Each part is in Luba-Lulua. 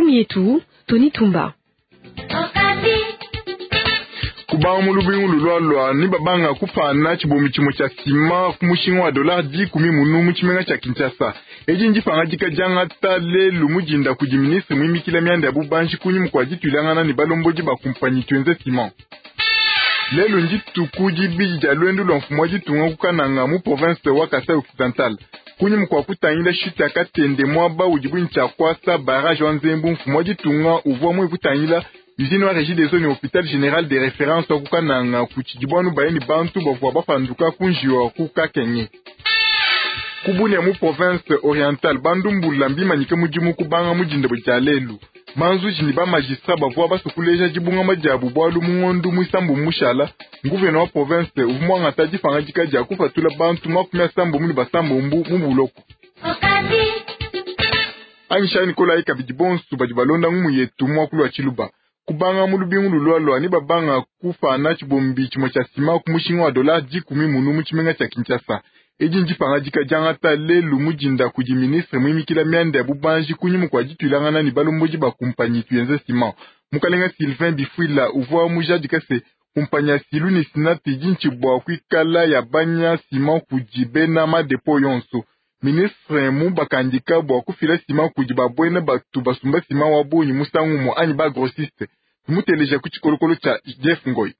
Ngumu yetu Tony Tumba. Kubanga mu lubingu lulualua ne babanga kupana tshibombi tshimue tshia sima ku mushinga wa dollar dikumi munu mu tshimenga tshia Kinshasa. Edi ndipangadika diangata lelu mu dinda kudi ministre muimikila mianda ya bubanji kunyima kua dituilangana ne balombodi ba kumpanyi Tuenze Ciment. Lelu ndituku dibidi dia luendu lua mfumu wa ditunga ku Kananga mu province wa Kasai Occidental. Kunyima kua kutangila chute ya Katende muaba udibu ne tshia kuasa barrage wa Nzembu, mfumu wa ditunga uvua muye kutangila usine wa Regideso ne hopital general de reference wa ku Kananga kutshidi anu baye ne bantu bavua bapanduka ku njiwu wa ku Kakenge. Ku Bunia mu province orientale, bandumbula mbimanyike mudimu kubanga mu dinda dia lelu. Banzuji ne ba magistrat bavua basue kuleja dibungama diabu bualu mu ngondo muisambombo mushala, nguvena wa province uvua muangata dipangadika dia kupatula bantu 36 mu buloko. Anyishayi ne kolayi kabidi bonso badi balonda ngumu yetu muakulu wa Tshiluba. Kubanga mu lubingu lulualua ne babanga kupana tshibombi tshimue tshia sima ku mushinga wa dollar dikumi munu mu tshimenga tshia Kinshasa. Edi ndipangadika diangata lelu mu dinda kudi ministre muimikila mianda ya bubanji kunyima kua dituilangana ne balombodi ba kumpanyi Tuenze Ciment. Mukalenga Sylvain Bifuila uvua mujadika se kumpanyi ya Silu ne Sinat idi ntshibua kuikala yabanya ciment kudi bena madepo yonso. Ministre mubakandika bua kufila ciment kudi babuena batu basumba ciment wa bungi musangu umue anyi ba grossiste. Tumuteleja ku tshikolokolo tshia Jeff Ngoy.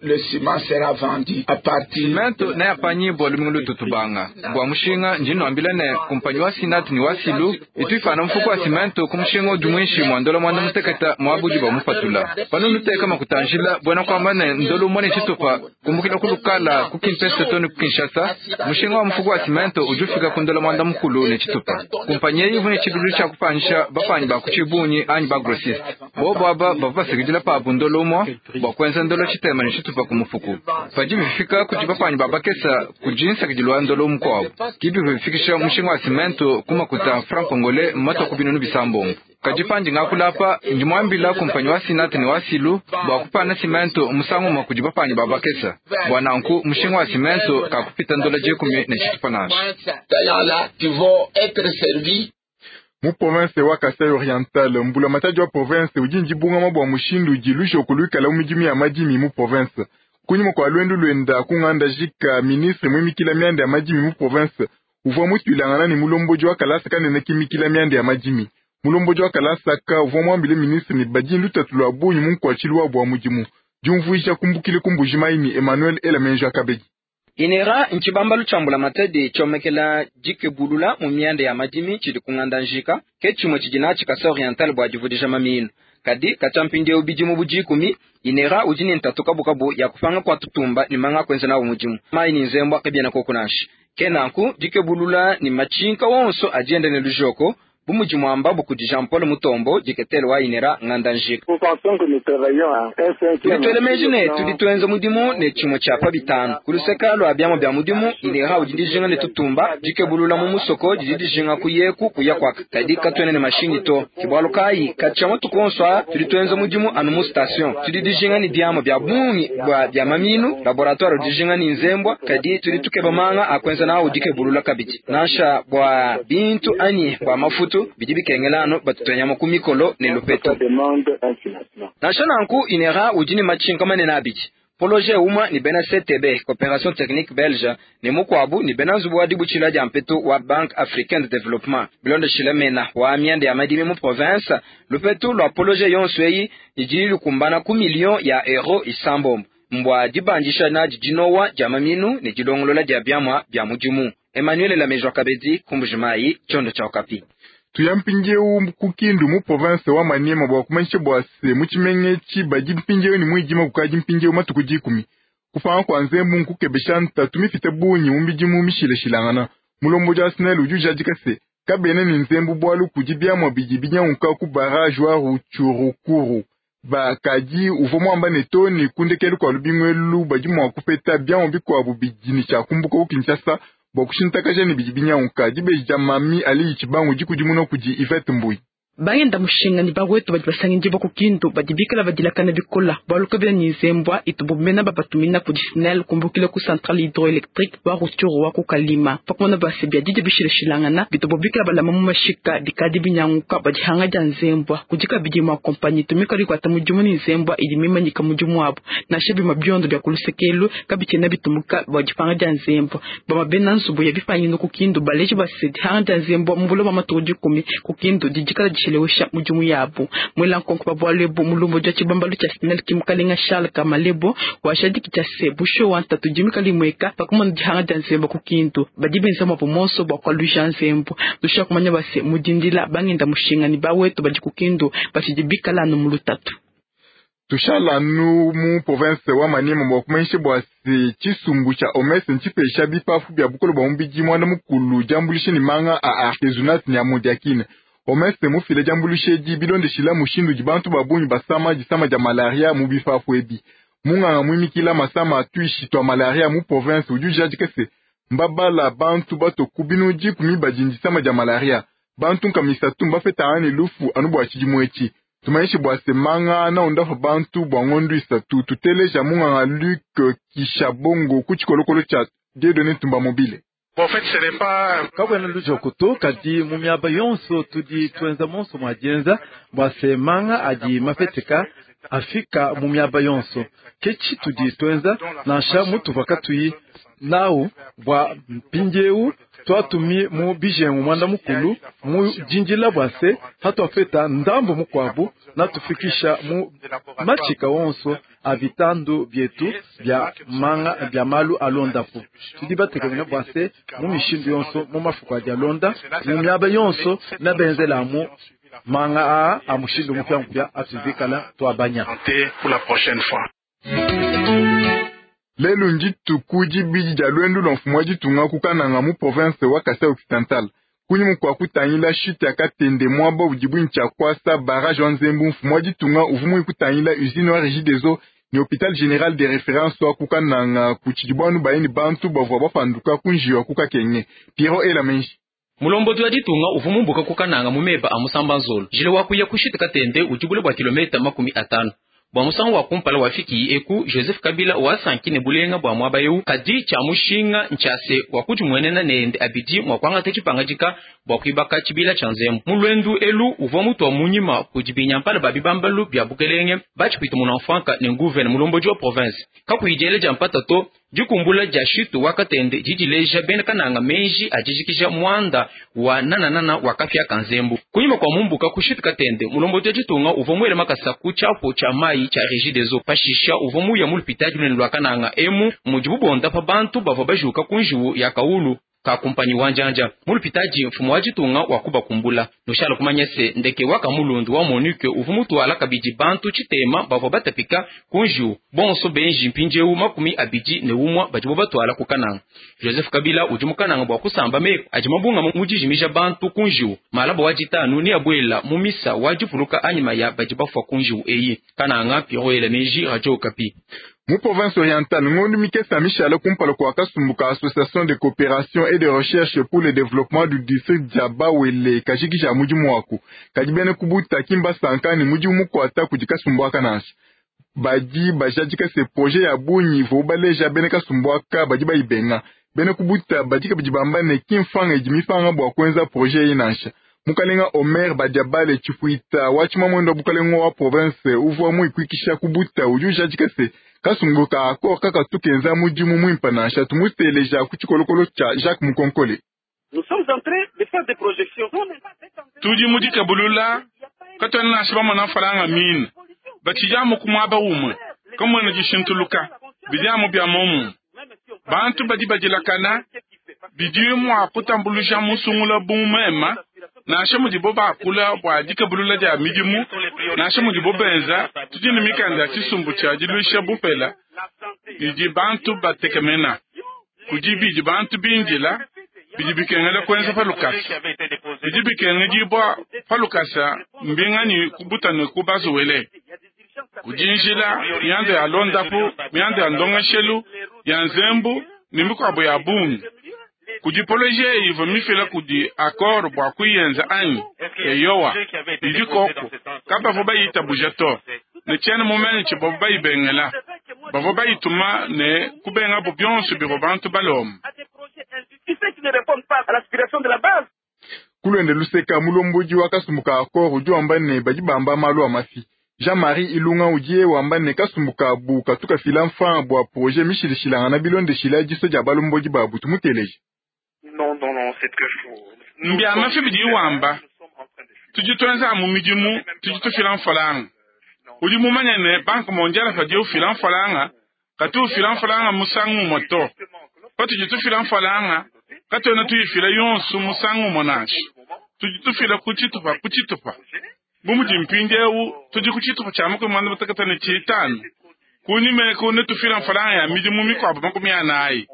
Le ciment sera vendu à partir. Cimento neapanyibua lumingu lututubanga bua mushinga. Ndi nuambila ne kumpanyi wa Sinat ne wa Silu itu ipana mufuku wa cimento ku mushinga udi muinshi mua ndola mwanda muteketa muaba udi bamupatula. Pano nuteka makuta njila buena kuamba ne ndolo umue ne tshitupa kumbukila ku Lukala ku Kimpese to ne ku Kinshasa, mushinga wa mufuku wa cimento udi ufika ku ndola mwanda mukulu ne tshitupa. Kumpanyi eyi ivua ne tshibidilu tshia kupanyisha bapanyi ba ku tshibungi anyi ba grossiste. Bobo aba bavua basakidila pabu ndolo umue bua kuenza ndolo tshitema ne tshitupa ku mufuku. Padi bifika kudi bapanyi ba bakesa kudi nsakidilu wa ndolo mukuabu, ke bivua bifikisha mushinga wa cimento ku makuta franc congolais matua ku 600. Kadi pandi ngakula apa, ndi muambila kumpanyi wa Sinat ne wa Silu bua kupana cimento musangu umue kudi bapanyi ba bakesa. Bua nanku mushinga wa cimento kakupita ndola dikumi ne tshitupa nansha. Mu province wa Kasai Oriental, mbulamatadi wa province udi ndibungama bua mushindu udi lujoko luikala mu midimu ya madimi mu province. Kunyima kua luendu luenda ku nganda jika, ministre muimikila mianda ya madimi mu province uvua mutuilangana ne mulombodi wa kalasa kanene kimikila mianda ya madimi. Mulombodi wa kalasa ka uvua muambile ministre ne badi lutatu lua bungi mu nkuatshilu wabu wa mudimu. Diumvuija kumbukile ku Mbuji-Mayi ne Emmanuel Elamenjo Akabedi. INERA ntshibambalu tshia mbulamatadi tshiomekela dikebulula mu mianda ya madimi tshidi ku nganda njika, ke tshimue tshidi natshi Kasai Oriental bua divudija maminu. Kadi katshia mpindieu bidimu bu dikumi, INERA udi ne ntatu kabukabu ya kupanga kua tutumba ne manga a kuenza nawu mudimu. Mayi ne nzembua kabiena koku nansha. Ke nanku dikebulula ne matshinka wonso adi enda ne lujoko, bu mudi muambabu kudi Jean-Paul Mutombo, diketele wa INERA nganda njika. Tudi tuela meji ne tudi tuenza mudimu ne tshimue tshia pa bitanu. Ku luseka lua biamua bia mudimu, INERA udi dijinga ne tutumba, dikebulula mu musoko didi dijinga kuyeku kuya kuaka, kadi katuena ne mashinyi to. Ke bualu kayi katshia matuku onso aa tudi tuenza mudimu anu mu station. Tudi dijinga ne biamua bia bungi bua bia maminu, laboratoire udi dijinga ne nzembua, kadi tudi tukeba manga a kuenza nawu dikebulula kabidi. Nansha bua bintu anyi bua mafutu bidi bikengela anu batutua nyama ku mikolo ne lupetu. Nansha nanku, INERA udi ne matshinka manene abidi, poloje umue ne bena CTB, Cooperation Technique Belge, ne mukuabu ne bena nzubu wa dibutshila dia mpetu wa Banque Africaine de Développement. Bilondeshile mena wa mianda ya madimi mu province, lupetu lua poloje yonso eyi idi lukumbana ku million ya euro isambombo mbua dibandisha nadi dinowa dia maminu ne dilongolola dia biamua bia mudimu. Emmanuel Lamejwa Kabedi, ku Mbuji-Mayi, tshiondo tshia Okapi. Tuya mpindieu ku Kindu mu province wa Maniema bua kumanyisha bua se mu tshimenga etshi badi mpindieu ne muidima kukadi mpindieu matuku dikumi. Kupanga kua nzembu nkukebesha ntatu mipite bungi mu midimu mishilashilangana. Mulombodi wa SNEL udi ujadika se kabena ne nzembu bualu kudi biamua bidi binyanguka ku barrage wa Rutshurukuru. Bakadi uvua muamba ne to ne ku ndekelu kua lubingu elu badi mua kupeta biamua bikuabu bidi ne tshia kumbuka ku Kinshasa bua kushintakaja ne bidi binyanguka. Dibeji dia Mami Aliyi Tshibangu dikudimuna kudi Yvette Mbuyi. Bangenda mushinga ne bawetu badi basangidibua ku Kindu badi bikala badilakana bikola bualu kabena ne nzembua itubu bena babatumina kudi SNEL kumbukila ku centrale hydroélectrique wa Rutshuru wa ku Kalima. Pakumona bua se biadidia bishilashilangana bitubu bikala balama mu mashika bikadi binyanguka bua dihanga dia nzembua. Kudi kabidi mua kompanyi itu mikale ikuata mudimu ne nzembua idi mimanyika mudimu wabu. Nansha bimue biondo bia ku lusekelu kabitshiena bitumuka bua dipanga dia nzembua. Bamue bena nzubu ya bipanyinu ku Kindu baleji bua se dihanga dia nzembua mu buloba matuku 10 ku Kindu didi dikala dishelewesha mudimu yabu. Mwela nkonko pa bualu ebu mulombodi wa tshibambalu tshia SNEL ki mukalenga Charles Kamalebo washadiki tshia se busho wa ntatu dimi kalimweka pakumona dihanga dia nzembu ku Kindu. Badi benza mwabu monso bua kualuja nzembu. Tusha kumanya bua se mudindila bangenda mushinga ne bawetu badi ku Kindu batshidi bikala anu mu lutatu. Tushala nu mu province wa Maniema bua kumanyisha bua se tshisumbu tshia OMS ntshipesha bipafu bia bukole bua mubidi muanda mukulu diambulisha ne manga a artesunate ne amodiaquine. OMS mufile diambulisha edi bilondeshila mushindu udi bantu ba bungi basama disama dia malaria mu bipafu ebi. Munganga muimikila masama atuishi tua malaria mu province udi ujadika se mbabala bantu bato ku binu 10 badi disama dia malaria. Bantu nkamisatu mbafeta ane lufu anu bua tshidimu etshi. Tumanyishe bua se manga na ondafa bantu bua ngondu isatu. Tuteleja munganga Luc Kishabongo ku tshikolokolo tshia Dieudonné Ntumba Mobile. Kabwena lujoko to kadi mu miaba yonso tudi tuenza monso mwa dienza bua se manga adi mafeteka afika mu miaba yonso. Ke tshitudi tuenza nansha mutuvua katuyi nawu bua mpindieu twatumi mu bijengu mwanda mukulu mu dindila bua se hatuafeta ndambu mukuabu natufikisha mu matshika wonso a bitandu bietu bia manga bia malu alondapu. Tudi batekemena bua se mu mishindu yonso mu mafuku adi alonda mu miaba yonso na benzela mu manga aa a mushindu mupya atuvikala tuabanya. Lelu ndituku dibidi dia lwendu lwa mfumu wa ditunga ku Kananga mu province wa Kasai Occidental. Kunyima kua kutangila chute ya Katende mwaba udi bwinyi kwasa barrage wa Nzembu, mfumu wa ditunga uvua muyi kutangila usine wa Régie des eaux ne hôpital général de référence wa ku Kananga ku tshidi bayini bantu bavua bapanduka ku njiwa ku Kakenge. Piero Elamenji. Mulombodi wa ditunga uvua mumbuka ku Kananga mu meba a musamba nzolo. Jile wa kuya ku chute Katende udi bule bua kilomita 50. Bua musangu wa kumpala wafiki eku Joseph Kabila wasankine bulenga bua mwaba eu kadi tshia mushinga ntshase wa kudimwenena nende abidi mwa kuangata tshipangadika bua kuibaka tshibila tshia nzembu. Mu lwendu elu uvua mutu wa munyima kudi binyampala ba bibambalu bia bukelenge batshipita munamfwanka ne nguvene mulombodi wa province. Kakuyidiele dia mpata to dikumbula dia shitu wa Katende didileja bena Kananga menji adijikija mwanda wa nananana wa kafya kanzembu. Kunyima kwa mumbuka ku shitu Katende mulombodi wa ditunga uvua mwele makasa ku tshiapo tshia mai tshia Régie des eaux. Pashisha uvua muya mu lupitadi lunene lwa Kananga emu mudi bubonda pa bantu bavua bajuka ku njiwu ya kaulu ka kumpanyi wa njanja. Mu lupitadi mfumu wa ditunga wa kubakumbula. Nushala kumanya se ndeke wa kamulundu wa Monique uvua mutuala kabidi bantu tshitema bavua batapika ku njiwu. Bonso benji mpindieu 21 badi batwala ku Kananga. Joseph Kabila udi mu Kananga bua kusamba meku adi mabunga mu dijimija bantu ku njiwu. Malaba wa ditanu ni abuela mu misa wa dipuluka anyima ya badi bafua ku njiwu eyi. Kananga, Piero Elameji, Radio Okapi. Mu province orientale, ngondu mikesa mishala kumpala kwa kasumbu ka association de coopération et de recherche pour le développement du district dia Bawele kajikija mudimu waku. Kadi bena kubuta kimba sankani mudimu mukwata kudi kasumbu aka nansha. Badi bajadika se projet ya bunyi vo baleja bena kasumbu aka badi bayibenga. Bena kubuta badi kabidi bamba ne kimfanga idi mifanga bua kuenza projet eyi nansha. Mukalenga Omer Badiabale Chifuita wa tshimamwendo wa bukalenga wa province uvua muikwikisha kubuta udi ujadika se kasumbu ka accord kaka tukenza mudimu mwimpa nansha. Tumuteleja ku tshikolokolo tshia Jacques Mukonkole. Tudi mu dikabulula katwena nansha bamona mfalanga mine batshidiamu ku muaba umue kamwena dishintuluka bidiamu bia momu bantu badi badilakana bidi mua kutambuluja musungula bumema nansha mudibo bakula bua dikabulula dia midimu nansha mudibo benza tudi ne mikanda ya tshisumbu tshia diluisha bupela bidi bantu batekemena kudi bidi bantu bindila bidi bikengela kuenza palukasa bidi bikengedibua palukasa mbingani kubutane kubazuwele kudi njila mianda ya londapu mianda ya ndongeshelu ya nzembu ne mikuabo ya bungi kudi poloje ivo mifila kudi accord bua kuyenza anyi eyowa Idi koku kabavua bayitabuja to, ne tshiena mumanye tshivuabu bayibengela. Bavua bayituma ne kubengabu bionso bivua bantu balomba. Ku luende luseka, mulombodi wa kasumbu ka Accord udi wamba ne badi bamba malu a mafi. Jean-Marie Ilunga udi wamba ne kasumbu kabu katu kafila mfranga bua projet mishilashilangana bilondeshila disua dia balombodi babu. Tumuteleje. Mbia mafi bidi wamba tudi tuenza mu midimu, tudi tufila mfranga. Udi mumanye ne Banque mondiale padiye ufila mfranga, katu ufila mfranga musangu umue to. Patudi tufila mfranga, katuena tuyifila yonso musangu umue nansha. Tudi tufila ku tshitupa ku tshitupa. Bu mudi mpindieu tudi ku tshitupa tshia 55. Kunyima eku netufila mfranga ya midimu mikuabu 40.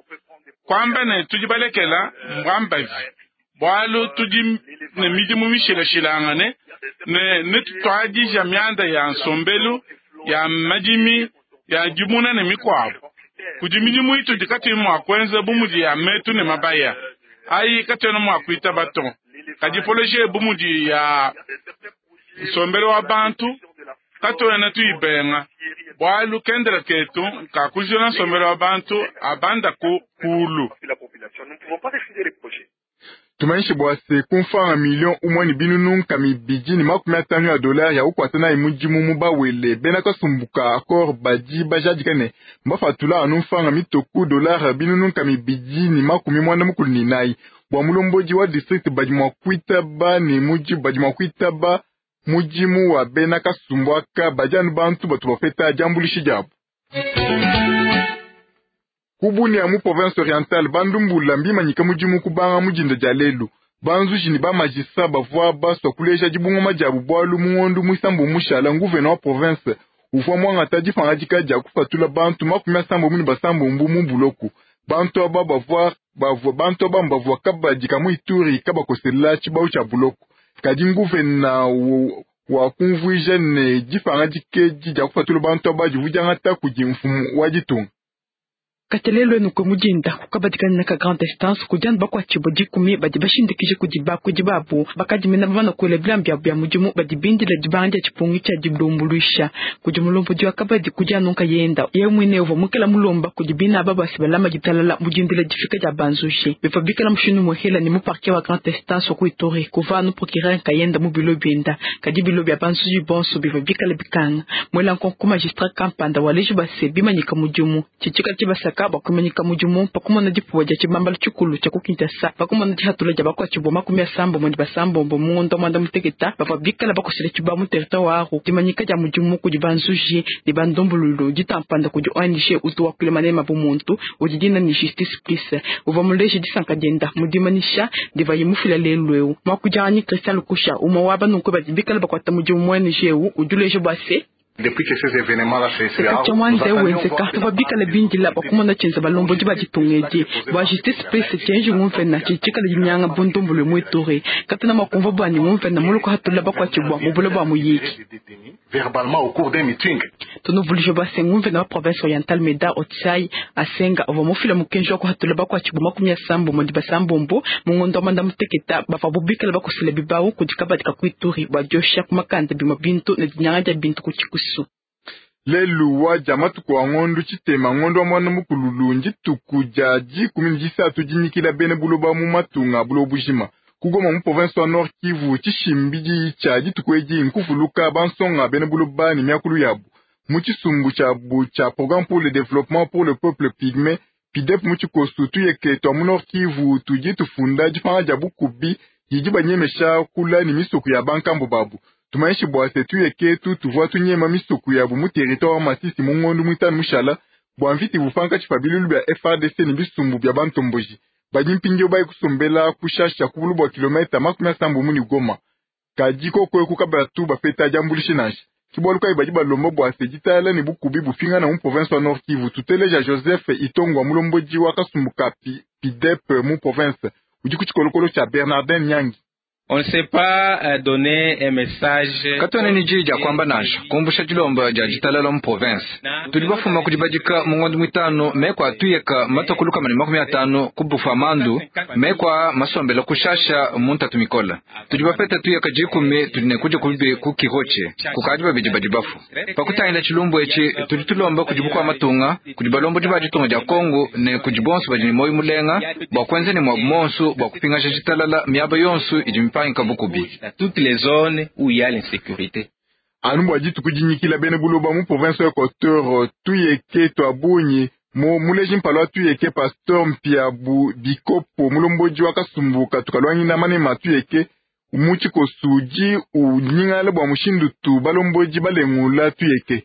Kuamba ne tudi balekela mbwambavi, bualu tudi ne midimu mishilashilangane ne netutuadija mianda ya nsombelu, ya madimi, ya dimuna ne mikuabu. Kudi midimu itudi katuyi mua kuenza bu mudi ya metu ne mabaya. Ayi katuena mua kuitaba to. Kadi projet bu mudi ya nsombelu wa bantu katuena tuyibenga, bualu kendela ketu kakujula nsombelu wa bantu abanda ku kulu. Tumanyishe bua se ku mfranga million umue ne binunu nkama ibidi ne makumi atanu ya dollar ya kukuata nayi mudimu mu bawele. Bena kasumbu ka Accord badi bajadika ne mbapatula anu mfranga mitoku dollar binunu nkama ibidi ne makumi muanda mukulu ne inayi. Bua mulombodi wa district badi mua kuitaba ne mudimu, badi mua kuitaba mudimu wa bena kasumbu aka badi anu bantu batu bapeta diambuluisha diabu. Ku Bunia mu province orientale, bandumbula mbimanyika mudimu kubanga mu dinda dia lelu. Banzuji ne bamagistrat bavua basua kuleja dibungama diabu bualu mu ngondo muisambo mushala nguvena wa province uvua muangata dipangadika dia kupatula bantu 86 mu buloku. Bantu aba bavua bantu aba bavua kabadi ka mu Ituri kabakosela tshibawu tshia buloku. Kadi nguvena wa kumvuija ne dipangadika edi dia kupatula bantu aba divua diangata kudi mfumu wa ditunga. Katelelo enu kwe mudinda kukabadikana ka grande instance kudiana bakuatshibua 10 badi bashindikije kudi bakudi babu bakadimena bamana kuela bilamba biabu bia mudimu badi bindila dibanga dia tshipungi tshia dilumbuluisha kudi mulombodi wa kabadi kudi anunka yenda ye muine uvua mukela mulomba kudi bina aba basi balama ditalala mudindila difika dia banzuji bivua bikala mushindu muhela ne mu parquet wa grande instance wa ku Ituri kuva anu procureur nkayenda mu bilo bienda kadi bilo bia banzuji bonso bivua bikala bikanga mwela nkonko magistrat kampanda waleji base bimanyika mudimu tshitshika tshibasaka bakumanyika mudimu pakumona dipuwa dia tshibambala tshikulu tshia ku Kinshasa pakumona dihatula dia bakuatshibua 36 ne basambombo mu ngondo muanda muteketa bavua bikala bakosela tshibawu mu territoire wa Aru. Dimanyika dia mudimu kudi banzuji ne bandombululu ditampanda kudi ONG utu wakuila manema bu muntu udi dina ne Justice Plus uvua muleje disanka dienda mu dimanyisha divaye mufila lelu eu. Muakudianyi Christian Lukusha umue wa banunku badi bikala bakuata mudimu mu ONG eu udi uleja bua se Katshia mwanze wenzeka tuvua bikala bindila bakumona tshienza balombodi ba ditunga edi bua Justice Plus tshienji ngumvena tshitshikala dinyanga bundombolo mu Ituri katena mua kumvua buanyi ngumvena muluko hatula bakuatshibua mu bula bua muyiki. Tunuvuluije bua se ngumvena wa province orientale Meda Otsai Asenga uvua mufila mukenji wa kuhatula bakuatshibua 36 mu ngondo wa muanda muteketa bavua bikala bakosela bibawu kudi kabadi ka ku Ituri bua diosha ku makanda bimue bintu ne dinyanga dia bintu ku tshikusu. Lelu wa dia matuku a ngondo tshitema ngondo wa muanda mukululu ndituku dia 13 dinyikila bena buloba mu matunga buloba bujima. Ku Goma mu province wa Nord Kivu tshishimbidi tshia dituku edi nkuvuluka bansonga bena buloba ne miakulu yabu. Mu tshisumbu tshiabu tshia Programme pour le développement pour le peuple pygmée PIDEP mu tshikosu tuyeke tua mu Nord Kivu tudi tufunda dipanga dia bukubi didi banyemesha kula ne misoko ya bankambo babu. Tumanyishe bua se tuyeke tu tuvua tunyema misoko yabu mu territoire wa Masisi mu ngondo muitanu mushala bua mvita ivupanka tshipa bilulu bia FARDC ne bisumbu bia bantomboji. Badi mpindieu bayi kusombela kushasha ku bulu bua kilometa 70 mu Goma. Kadi koko eku kabatu bapeta diambuluisha nansha. Ke bualu kayi badi balomba bua se ditala ne bukubi bupingana mu province wa Nord Kivu. Tuteleja Joseph Itongwa mulombodi wa kasumbu ka PIDEP mu province udi ku tshikolokolo tshia Bernardin Nyangi. On ne sait pas donner un message. Katuena ne diyi dia kuamba nansha kumbusha dilomba dia ditalala mu province. Tudi bafuma kudi badika mu ngondo muitanu meku a tuyeka matue ku 150 ku Bufamandu, meku aa masombela ku Shasha mu ntatu mikola. Tudi bapeta tuyeka 10 tudi ne kudia kubi ku Kirotshe, kukadi babidi badi bafua. Pa kutangila tshilumbu etshi, tudi tulomba kudi bukua matunga, kudi balombodi ba ditunga dia Kongo ne kudi bonso badi ne muoyo mulenga bua kuenza ne muabu muonso bua kupingaja ditalala miaba yonso idi mipangika bukubi. Toutes les zones où il y a l'insécurité. Anu bua dituku dinyikila bena buloba mu province wa Equateur, tuyeke tua bungi mu muleji mpala wa tuyeke pasteur Mpiabu Bikopo mulombodi wa kasumbu katu kaluangina manema tuyeke mu tshikoso udi unyingala bua mushindu tu balombodi balengula tuyeke.